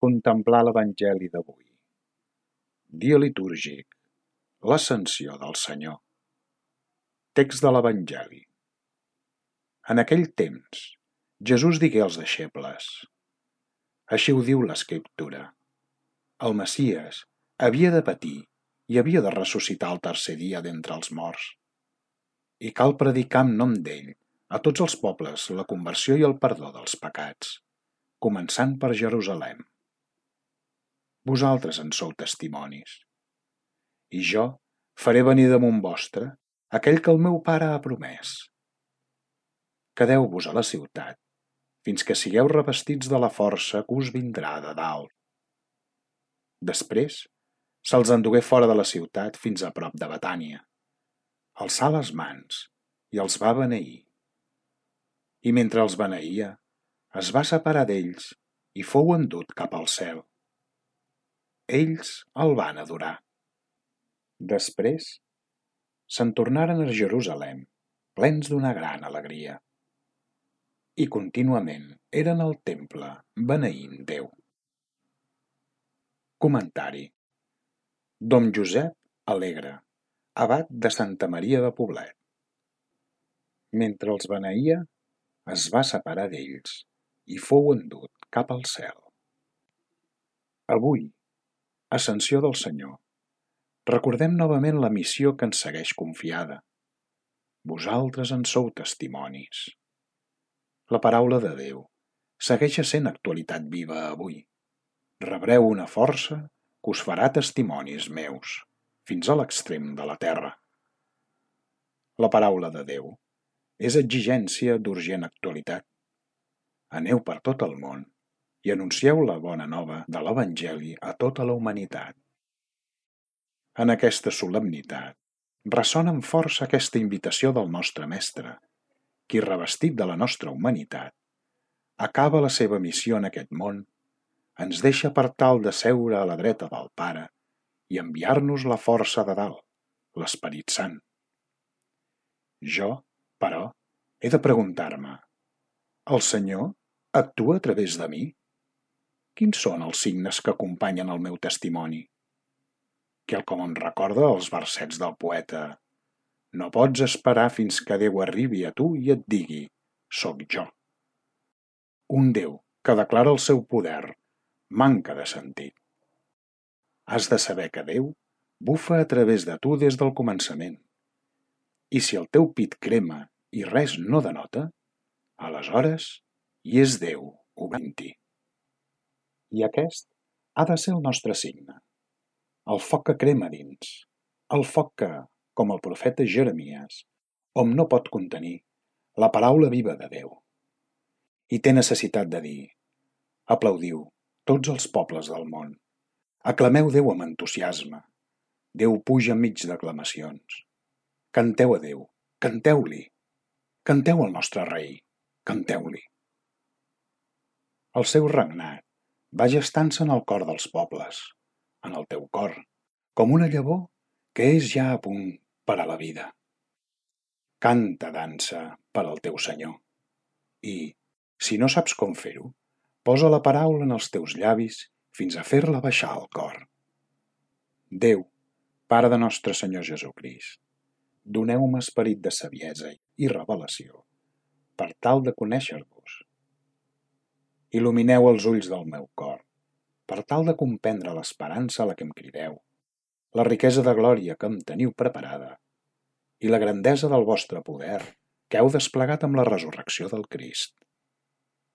Contemplar l'Evangeli d'avui. Dia litúrgic. L'Ascensió del Senyor. Text de l'Evangeli. En aquell temps, Jesús digué als deixebles: Així ho diu l'Escriptura. El Messies havia de patir i havia de ressuscitar el tercer dia d'entre els morts. I cal predicar en nom d'ell a tots els pobles la conversió i el perdó dels pecats, començant per Jerusalem. Vosaltres en sou testimonis. I jo faré venir damunt vostre aquell que el meu pare ha promès. Quedeu-vos a la ciutat fins que sigueu revestits de la força que us vindrà de dalt. Després se'ls endugué fora de la ciutat fins a prop de Betània. Alçà les mans i els va beneir. I mentre els beneïa, es va separar d'ells i fou endut cap al cel. Ells el van adorar. Després se'n tornaren a Jerusalem, plens d'una gran alegria. I contínuament eren al temple beneint Déu. Comentari. Dom Josep Alegre, abat de Santa Maria de Poblet. Mentre els beneïa, es va separar d'ells i fou endut cap al cel. Avui, Ascensió del Senyor, recordem novament la missió que ens segueix confiada. Vosaltres en sou testimonis. La paraula de Déu segueix sent actualitat viva avui. Rebreu una força que us farà testimonis meus, fins a l'extrem de la terra. La paraula de Déu és exigència d'urgent actualitat. Aneu per tot el món i anuncieu la bona nova de l'Evangeli a tota la humanitat. En aquesta solemnitat ressona amb força aquesta invitació del nostre Mestre, qui, revestit de la nostra humanitat, acaba la seva missió en aquest món, ens deixa per tal de seure a la dreta del Pare i enviar-nos la força de dalt, l'Esperit Sant. Jo, però, he de preguntar-me: el Senyor actua a través de mi? Quins són els signes que acompanyen el meu testimoni? Quelcom em recorda els versets del poeta: no pots esperar fins que Déu arribi a tu i et digui: soc jo. Un Déu que declara el seu poder manca de sentit. Has de saber que Déu bufa a través de tu des del començament. I si el teu pit crema i res no denota, aleshores hi és Déu obrint-hi. I aquest ha de ser el nostre signe. El foc que crema dins, el foc que, com el profeta Jeremies, hom no pot contenir la paraula viva de Déu. I té necessitat de dir: aplaudiu tots els pobles del món, aclameu Déu amb entusiasme, Déu puja enmig d'aclamacions. Canteu a Déu, canteu-li, canteu al nostre rei, canteu-li. El seu regnat va gestant-se en el cor dels pobles, en el teu cor, com una llavor que és ja a punt per a la vida. Canta, dansa per al teu Senyor. I, si no saps com fer-ho, posa la paraula en els teus llavis fins a fer-la baixar al cor. Déu, Pare de nostre Senyor Jesucrist, doneu-me esperit de saviesa i revelació per tal de conèixer-vos. Il·lumineu els ulls del meu cor per tal de comprendre l'esperança a la que em crideu, la riquesa de glòria que em teniu preparada i la grandesa del vostre poder que heu desplegat amb la resurrecció del Crist.